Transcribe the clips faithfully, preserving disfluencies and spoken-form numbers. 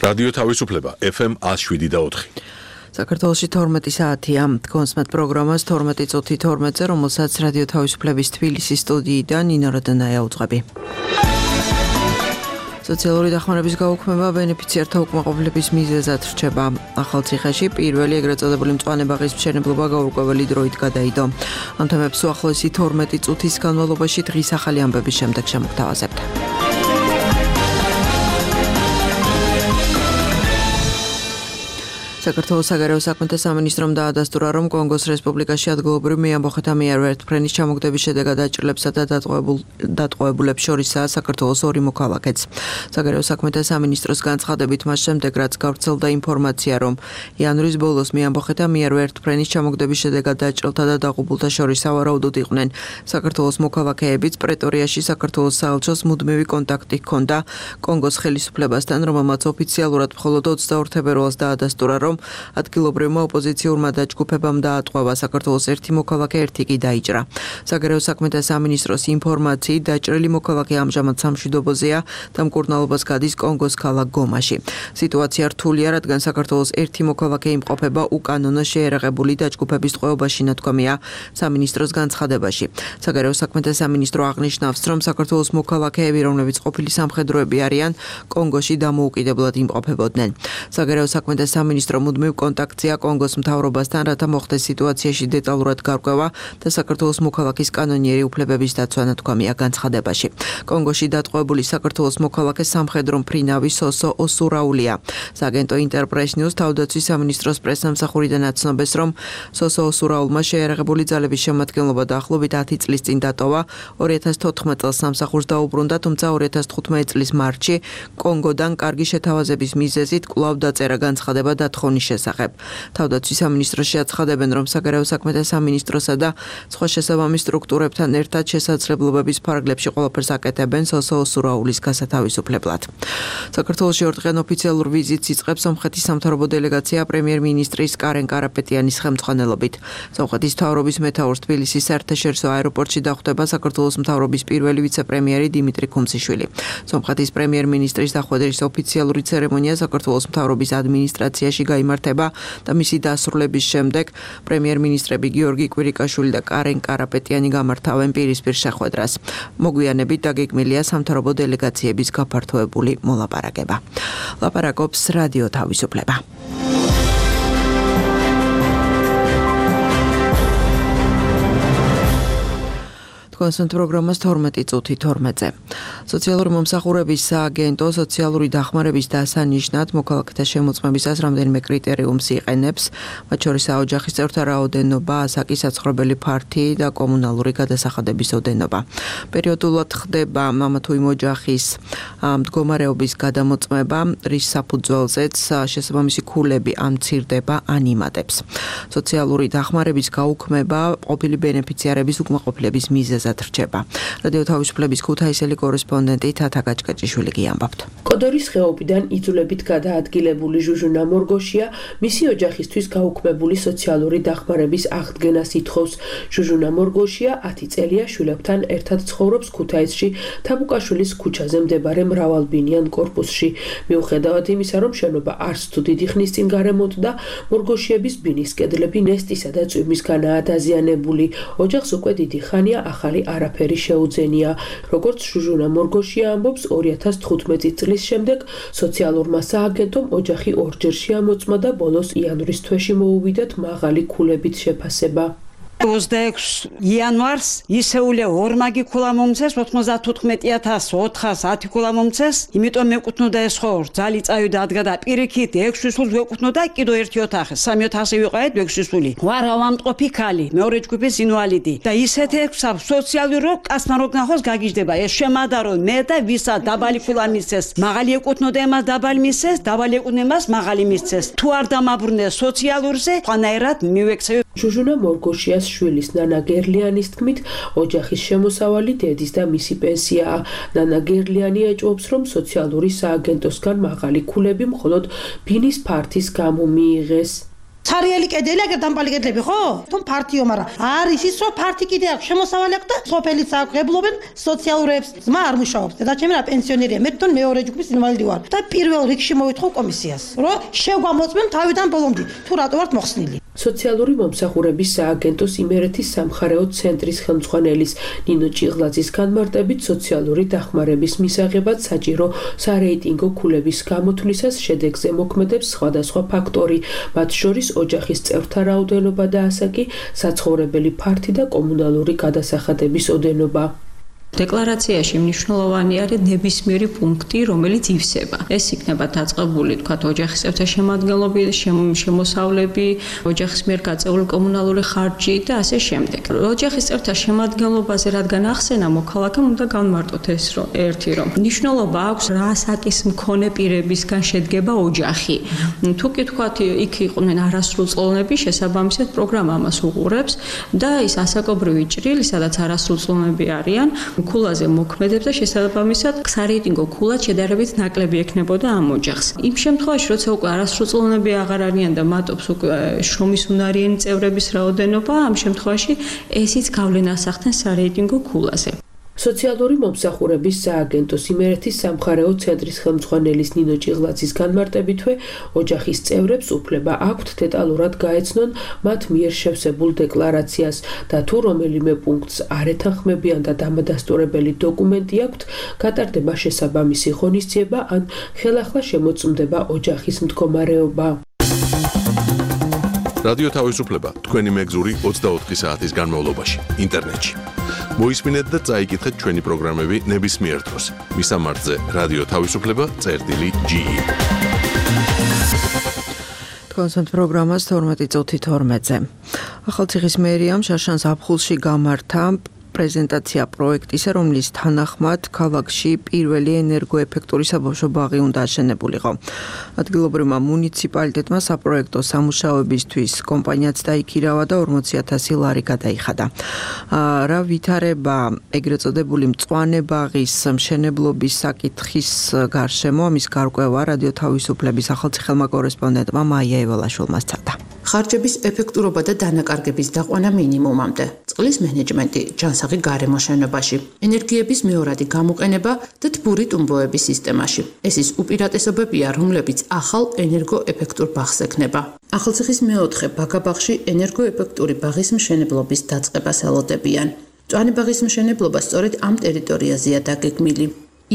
რადიო თავისუფლება ეფ ემ one oh seven და four. საქართველოში თორმეტი საათია. კონსმეთ პროგრამას თორმეტი წუთი თორმეტზე, რომელსაც რადიო თავისუფლების თბილისის სტუდიიდან ნინო როდანაია უძღვები. სოციალური დახმარების გაუქმება ბენეფიციართა უკმაყოფილების მიზეზად რჩება. ახალციხეში პირველი ეგრეთ წოდებული მწვანე ბაღის მშენებლობა გაურკვეველი დროით გადაიდო. ამ თემებს უახლოესი თორმეტი წუთის განმავლობაში დღის ახალი ამბების შემდეგ შემოგთავაზებთ. საქართველოს საგარეო საქმეთა სამინისტრომ დაადასტურა, რომ კონგოს რესპუბლიკაში ადგილობრივ მეამბოხეთა მიერ ვერტმფრენის ჩამოგდების შედეგად დაჭრილებსა და დატყვევებულებს შორისაა საქართველოს ორი მოქალაქეც. საგარეო საქმეთა სამინისტროს განცხადებით მას შემდეგ, რაც გავრცელდა ინფორმაცია, რომ იანვრის ბოლოს მეამბოხეთა მიერ ვერტმფრენის ჩამოგდების შედეგად დაჭრილთა და დაღუპულთა შორის სავარაუდოდ იყვნენ საქართველოს მოქალაქეებიც, პრეტორიაში საქართველოს საელჩოს მუდმივი კონტაქტი ჰქონდა კონგოს ხელისუფლებასთან, რომელმაც ოფიციალურად მხოლოდ ოცდაორ თებერვალს დაადასტურა, რომ ადგილობრივმა ოპოზიციურმა დაჯგუფებამ დაატყვევა საქართველოს ერთი მოქალაქე, ერთი კი დაიჭრა. საგარეო საქმეთა სამინისტროს ინფორმაციით, დაჭრილი მოქალაქე ამჟამად სამშვიდობოზეა და მკურნალობას გადის კონგოს ქალაქ გომაში. სიტუაცია რთულია, რადგან საქართველოს ერთი მოქალაქე იმყოფება უკანონო შეერაღებული დაჯგუფების ტყვეობაში, ნათქვამია სამინისტროს განცხადებაში. საგარეო საქმეთა სამინისტრო აღნიშნავს, რომ საქართველოს მოქალაქეები, რომლებიც ყოფილი სამხედროები არიან, კონგოში დამოუკიდებლად იმყოფებოდნენ. საგარეო საქმეთა სამინისტრო მუდმივ კონტაქტია კონგოს მთავრობასთან, რათა მოხდეს სიტუაციაში დეტალურად გარკვევა და საქართველოს მოქალაქის კანონიერი უფლებების დაცვა, ნათქვამია განცხადებაში. კონგოში დატყვევებული საქართველოს მოქალაქე სამხედრო მფრინავი სოსო ოსურაულია. სააგენტო ინტერპრეს ნიუს თავდაცვის სამინისტროს პრესსამსახურიდან აცნობს, რომ სოსო ოსურაულმა შეერაღებული ძალების შემადგენლობა დაახლოებით ათი წლის წინ დატოვა. ორი ათას თოთხმეტ წელს სამსახურს დაუბრუნდა, თუმცა ორი ათას თხუთმეტ წლის მარტში კონგოდან კარგი შეთავაზების მიზეზით კვლავ დაწერა განცხადება დათხოვნის შესახებ. თავდაცვის სამინისტროში აცხადებენ, რომ საგარეო საქმეთა სამინისტროსა და სხვა შესაბამის სტრუქტურებთან ერთად შესაძლებლობების ფარგლებში ყველაფერს აკეთებენ სოსო ოსურაულის გასათავისუფლებლად. საქართველოში ორდღიან ოფიციალურ ვიზიტს იწყებს სომხეთის სამთავრობო დელეგაცია პრემიერ-მინისტრის კარენ კარაპეტიანის ხელმძღვანელობით. სომხეთის მთავრობის მეთაურს თბილისის საერთაშორისო აეროპორტში დახვდება საქართველოს მთავრობის პირველი ვიცე-პრემიერი დიმიტრი ქუმციშვილი. სომხეთის პრემიერ-მინისტრის დახვედრის ოფიციალური ცერემონია საქართველოს მთავრობის ადმინისტრაციაში გაიმართება და მისი დასრულების შემდეგ პრემიერ-მინისტრები გიორგი კვირიკაშვილი და კარენ კარაპეტიანი გამართავენ პირისპირ შეხვედრას. მოგვიანებით დაგეგმილია სამთავრობო დელეგაციების გაფართოებული მოლაპარაკება. ლაპარაკობს რადიო თავისუფლება. კონსმეთ პროგრამას თორმეტი წუთი თორმეტზე. სოციალური მომსახურების სააგენტო სოციალური დახმარების დასანიშნად მოქალაქეთა შემოწმებისას რამდენიმე კრიტერიუმს იყენებს, მათ შორისაა ოჯახის წევრთა რაოდენობა, ასაკი, საცხოვრებელი ფართი და კომუნალური გადასახადების ოდენობა. პერიოდულად ხდება მამა თუ იმ ოჯახის მდგომარეობის გადამოწმება, რის საფუძველზეც შესაბამისი ქულები ამცირდება ან იმატებს. სოციალური დახმარების გაუქმება ყოფილი ბენეფიციარების უკმაყოფილების მიზეზად რჩება. რადიო თავისუფლების ქუთაისელი კორესპონდენტი თათა გაჭკაჭიშვილი გიამბობთ. კოდორის ხეობიდან იძულებით გადაადგილებული ჟუჟუნა მორგოშია მისი ოჯახისთვის გაუქმებული სოციალური დახმარების აღდგენას ითხოვს. ჟუჟუნა მორგოშია ათი წელია შვილებთან ერთად ცხოვრობს ქუთაისში თაბუკაშვილის ქუჩაზე მდებარე მრავალბინიან კორპუსში. მიუხედავად იმისა, რომ შენობა არც თუ დიდი ხნის წინ გარემონტდა, მორგოშიების ბინის კედლები ნესტისა და წვიმისგანაა დაზიანებული. ოჯახს უკვე დიდი ხანია ახალი არაფერი შეუძენია. როგორც ჟუჟუნა მორგოშია ამბობს, ორი ათას თხუთმეტი წლის შემდეგ სოციალურმა სააგენტომ ოჯახი ორჯერ შეამოწმა და ბოლოს იანვრის თვეში მოუვიდათ მაღალი ქულებით შეფასება. ოცდაექვსი იანვარს ისეულე ორმაგი ქულა მომცეს, ოთხმოცდათოთხმეტი ათას ოთხას ათი ქულა მომცეს, იმიტომ მეკუთვნოდა ეს ხორ ძალი წავიდა ადგა და პირიქით ექვსი სულს ვეკუთვნოდა კიდო ერთი ოთახი, სამი ოთახი ვიყავით ექვსი სული. ვარ ავამტყოფი ქალი, მეორე ჯგუფის ინვალიდი და ისეთი ექვსა სოციალური რო კაცმა რო გნახოს გაგიჟდება. ეს შემადარო მე და ვისა დაბალი ქულა მისცეს, მაღალი ეკუთვნოდა εμას დაბალი მისცეს, დაბალი ეკუთვნოდა εμას მაღალი მისცეს. თუ არ დამაბრუნე სოციალურზე, ყანაერად მივექცევი. ჟუჟუნა მორგოშიას შვილის ნანა გერლიანის თქმით, ოჯახის შემოსავალი დედის და მისი პენსიაა. ნანა გერლიანი ეჭვობს, რომ სოციალური სააგენტოსგან მაღალი ქულები მხოლოდ ბინის ფართის გამო მიიღეს. ცარიელი კედელი, აგერ დამპალი კედლები, ხო? თუმ ფარტიო, მაგრამ არის ის, რომ ფარტი კიდე აქვს შემოსავალი აქვს და სოფელიც აქვს, ღებულობენ სოციალურებს, ძმა არ მუშაობს. და ჩემი რა პენსიონერია, მე თვითონ მეორე ჯგუფის ინვალიდი ვარ. და პირველ რიგში მოვითხო კომისიას, რომ შეგვამოწმენ თავიდან ბოლომდე, თუ რატო ვართ მოხსნილი. სოციალური მომსახურების სააგენტოს იმერეთის სამხარეო ცენტრის ხელმძღვანელის ნინო ჭიღლაძის განმარტებით სოციალური დახმარების მისაღებად საჭირო სარეიტინგო ქულების გამოთვლისას შედეგზე მოქმედებს სხვადასხვა ფაქტორი, მათ შორის ოჯახის წევრთა რაოდენობა და ასაკი, საცხოვრებელი ფართი და კომუნალური გადასახადების ოდენობა. დეკლარაციაში მნიშვნელოვანი არის ნებისმიერი პუნქტი, რომელიც ივსება. ეს იქნება დაწყებული, თქვათ, ოჯახის წევრთა შემადგენლობის, შემოსავლები, ოჯახის მიერ გაწეული კომუნალური ხარჯი და ასე შემდეგ. ოჯახის წევრთა შემადგენლობაზე რადგან ახსენა მოქალაქემ უნდა განმარტოთ ეს, რომ ერთი რომ მნიშვნელობა აქვს რა ასაკის მქონე პირებისგან შედგება ოჯახი. თუ კი თქვათ, იქ იყვნენ არასრულწლოვნები, შესაბამისად პროგრამა ამას უყურებს და ის ასაკობრივი ჭრილი, სადაც არასრულწლოვნები არიან, ქულაზე მოქმედებს და შესაბამისად სარეიტინგო ქულად შედარებით ნაკლები ექნებოდა ამ ოჯახს. იმ შემთხვევაში, როცა უკვე არასრულწლოვნები აღარ არიან და მატობს უკვე შრომის უნარიანი წევრების რაოდენობა, ამ შემთხვევაში ესიც გავლენას ახდენს სარეიტინგო ქულაზე. სოციალური მომსახურების სააგენტოს იმერეთის სამხარეო ცენტრის ხელმძღვანელის ნინო ჭიღლაძის განმარტებითვე, ოჯახის წევრებს უფლება აქვთ დეტალურად გაეცნონ მათ მიერ შევსებულ დეკლარაციას და თუ რომელიმე პუნქტს არ ეთანხმებიან და დამადასტურებელი დოკუმენტი აქვთ, გატარდება შესაბამისი ღონისძიება ან ხელახლა შემოწმდება ოჯახის მდგომარეობა. რადიო თავისუფლება თქვენი მეგზური ოცდაოთხი საათის განმავლობაში ინტერნეტში. მოისმინეთ და წაიკითხეთ ჩვენი პროგრამები ნებისმიერ დროს. მისამართზე რადიო თავისუფლება წერტილი ჯი ი. კონსერტ პროგრამას თორმეტი წუთი თორმეტზე. ახალციხის მერიამ შაშან ზაფხულში გამართა პრეზენტაცია პროექტისა, რომლის თანახმად ქალაქში პირველი ენერგოეფექტური საბავშვო ბაღი უნდა აშენებულიყო. ადგილობრივმა მუნიციპალიტეტმა საპროექტო სამუშაოებისთვის კომპანიაც დაიქირავა და ორმოცი ათასი ლარი გადაიხადა. რა ვითარება ეგრეთ წოდებული მწვანე ბაღის მშენებლობის საკითხის გარშემო, ამის გარკვევა რადიო თავისუფლების ახალციხელმა კორესპონდენტმა მაია ევალაშვილმა სცადა. ხარჯების ეფექტურობა და დანაკარგების დაყვანა მინიმუმამდე, წყლის მენეჯმენტი, ჯანსაღი გარემო შენობაში, ენერგიების მეორადი გამოყენება და თბური ტუმბოების სისტემაში. ეს ის უპირატესობებია, რომლებიც ახალ ენერგოეფექტურ ბაღს ექნება. ახალციხის მეოთხე ბაგაბაღში ენერგოეფექტური ბაღის მშენებლობის დაწყებას ელოდებიან. მწვანე ბაღის მშენებლობა სწორედ ამ ტერიტორიაზეა დაგეგმილი.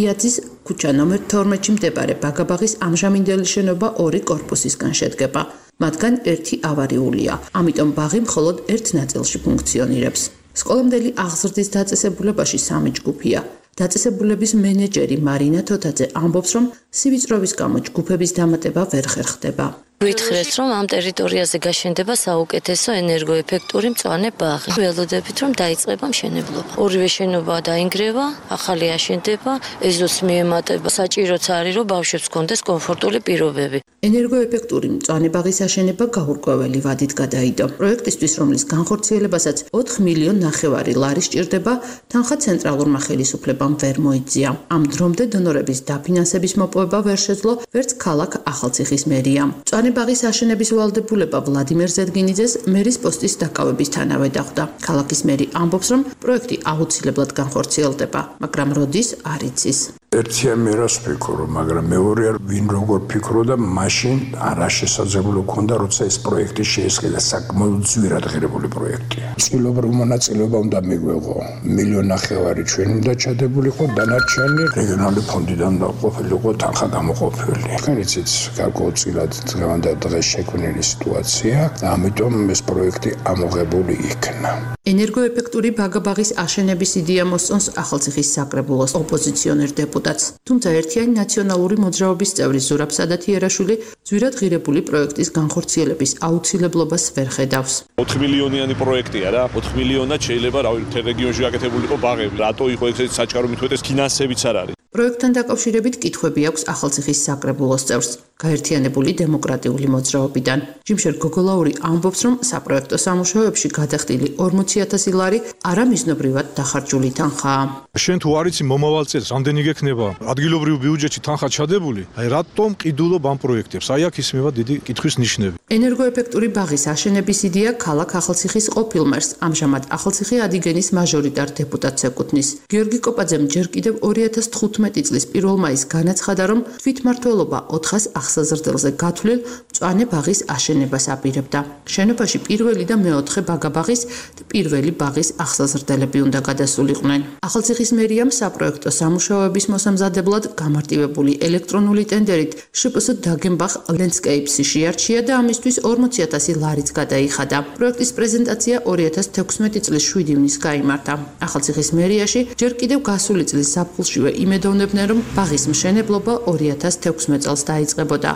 იაძის ქუჩა ნომერ თორმეტში მდებარე ბაგაბაღის ამჟამინდელი შენობა ორი კორპუსისგან შედგება. მათგან ერთი ავარიულია, ამიტომ ბაღი მხოლოდ ერთ ნაწილში ფუნქციონირებს. სკოლამდელი აღზრდის დაწესებულებაში სამი ჯგუფია. დაწესებულების მენეჯერი მარინა თოთაძე ამბობს, რომ სივიწროვის გამო ჯგუფების დამატება ვერ ხერხდება. ვითხრეს, რომ ამ ტერიტორიაზე გაშენდება საუკეთესო ენერგოეფექტური მწვანე ბაღი. ველოდებით, რომ დაიწყება მშენებლობა. ორივე შენობა დაინგრევა, ახალი აშენდება, ეზოს მიემატება. საჭიროც არის, რომ ბავშვებს ჰქონდეს კომფორტული პირობები. ენერგოეფექტური მწვანე ბაღის აშენება გაურკვეველი ვადით გადაიდო. პროექტისთვის, რომლის განხორციელებასაც ოთხ მილიონ ნახევარი ლარი სჭირდება, თანხა ცენტრალურმა ხელისუფლებამ ვერ მოიწია. ამ დრომდე დონორების დაფინანსების მოპოვება ვერ შეძლო, ვერც ქალაქ ახალციხის მერიამ. ბაღის აშენების ვალდებულება ვლადიმერ ზედგინიძეს მერის პოსტის დაკავებისთანავე დახვდა. ქალაქის მერი ამბობს, რომ პროექტი აუცილებლად განხორციელდება, მაგრამ როდის არ იცის. ერთია მე რას ვფიქრო, მაგრამ მეორე ვინ როგორ ფიქრობდა, მაშინ არა შესაძლებლო ქონდა, როცა ეს პროექტი შეესყიდა, საკმაოდ ძვირად ღირებული პროექტია. წყილობრივ მონაწილეობა უნდა მიგვეღო, მილიონ ნახევარი ჩვენ უნდა ჩადებულიყო, დანარჩენი რეგიონალური ფონდიდან დაყოფილიყო თანხა გამოყოფილი. თქვენ იცით, გარკვეულწილად დღევანდელ დღეს შექმნილი სიტუაცია, ამიტომ ეს პროექტი ამოღებული იქნა. ენერგოეფექტური ბაგაბაღის აშენების იდეა მოსწონს ახალციხის საკრებულოს ოპოზიციონერ დეპუტატს. თუმცა ერთიანი ნაციონალური მოძრაობის წევრი ზურაბ სადათიერაშვილი ძვირად ღირებული პროექტის განხორციელების აუცილებლობას ვერ ხედავს. ოთხ მილიონიანი პროექტია რა, ოთხ მილიონად შეიძლება რა ვიცი, რეგიონში გაკეთებულიყო ბაღები. რატო იყო ეგრეთ საჩქარო მithვეთეს ფინანსებიც არ არის. პროექტთან დაკავშირებით კითხვები აქვს ახალციხის საკრებულოს წევრს. გაერთიანებული დემოკრატიული მოძრაობიდან. ჯიმშერ გოგოლაური ამბობს, რომ საპროექტო სამუშაოებში გადახდილი ორმოცი ათასი ლარი არამიზნობრივად დახარჯული თანხაა. შენ თუ არ იცი მომავალ წელს რამდენი გექნება ადგილობრივ ბიუჯეტში თანხა ჩადებული, აი რატომ ყიდულობ ამ პროექტებს? აი აქ ისმევა დიდი კითხვის ნიშნები. ენერგოეფექტური ბაღის აშენების იდეა ქალაქ ახალციხის ყოფილ მერს, ამჟამად ახალციხე ადიგენის მაჟორიტარ დეპუტატს ეკუთვნის. გიორგი კოპაძემ ჯერ კიდევ ორი ათას თხუთმეტი წლის პირველ მაისს განაცხადა, რომ თვითმმართველობა ოთხას ახსაზრდელზე გათვლილ მწვანე ბაღის აშენებას აპირებდა. შენობაში პირველი და მეოთხე ბაგაბაღის და პირველი ბაღის ახსაზრდელები უნდა გადასულიყვნენ. ახალციხის მერიამ საპროექტო სამუშაოების მოსამზადებლად გამარტივებული ელექტრონული ტენდერით შპს დაგენბახ ლენდსკეიპსი შეარჩია და ამისთვის ორმოცი ათასი ლარიც გადაიხადა. პროექტის პრეზენტაცია ორი ათას თექვსმეტი წლის შვიდი ივნის გაიმართა. ახალციხის მერიაში ჯერ კიდევ გასული წლის ზაფხულშივე იმედოვნებდნენ, რომ ბაღის მშენებლობა ორი ათას თექვსმეტ წელს დაიწყებოდა.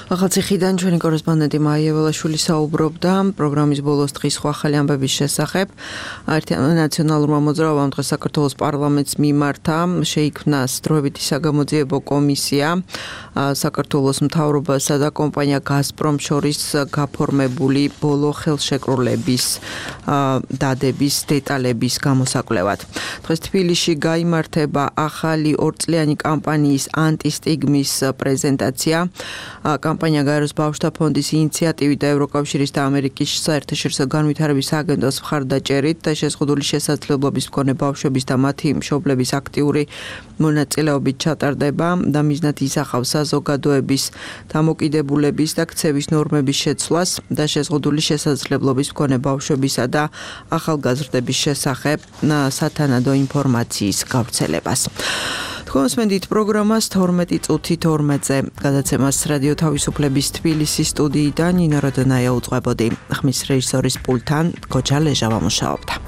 ახალციხიდან ჩვენი კორესპონდენტი მაია ველაშვილი საუბრობდა პროგრამის ბოლოს დღის სხვა ახალი ამბების შესახებ. ნაციონალურმა მოძრაობამ დღეს საქართველოს პარლამენტს მიმართა, შეიქმნა დროებითი საგამოძიებო კომისია საქართველოს მთავრობასა და კომპანია გაზპრომ შორის გაფორმებული ბოლო ხელშეკრულების დადების დეტალების გამოსაკვლევად. დღეს თბილისში გაიმართება ახალი ორწლიანი კამპანიის ანტისტიგმის პრეზენტაცია. კამპანია გაეროს ბავშვთა ფონდის ინიციატივით და ევროკავშირის და ამერიკის საერთაშორისო განვითარების აგენტოს მხარდაჭერით და შეზღუდული შესაძლებლობის მქონე ბავშვების და მათი მშობლების აქტიური მონაწილეობით ჩატარდება და მიზნად ისახავს საზოგადოების დამოკიდებულების და ქცევის ნორმების შეცვლას და შეზღუდული შესაძლებლობის მქონე ბავშვებისა და ახალგაზრდების შესახებ სათანადო ინფორმაციის გავრცელებას. თქვენსმენდით პროგრამას თორმეტი წუთი თორმეტზე გადაცემას რადიო თავისუფლების თბილისის სტუდიიდან ნინო როდონაია უწყებოდი. ხმის რეჟისორის პულტთან გოჯა ლეჟავა მუშაობდა.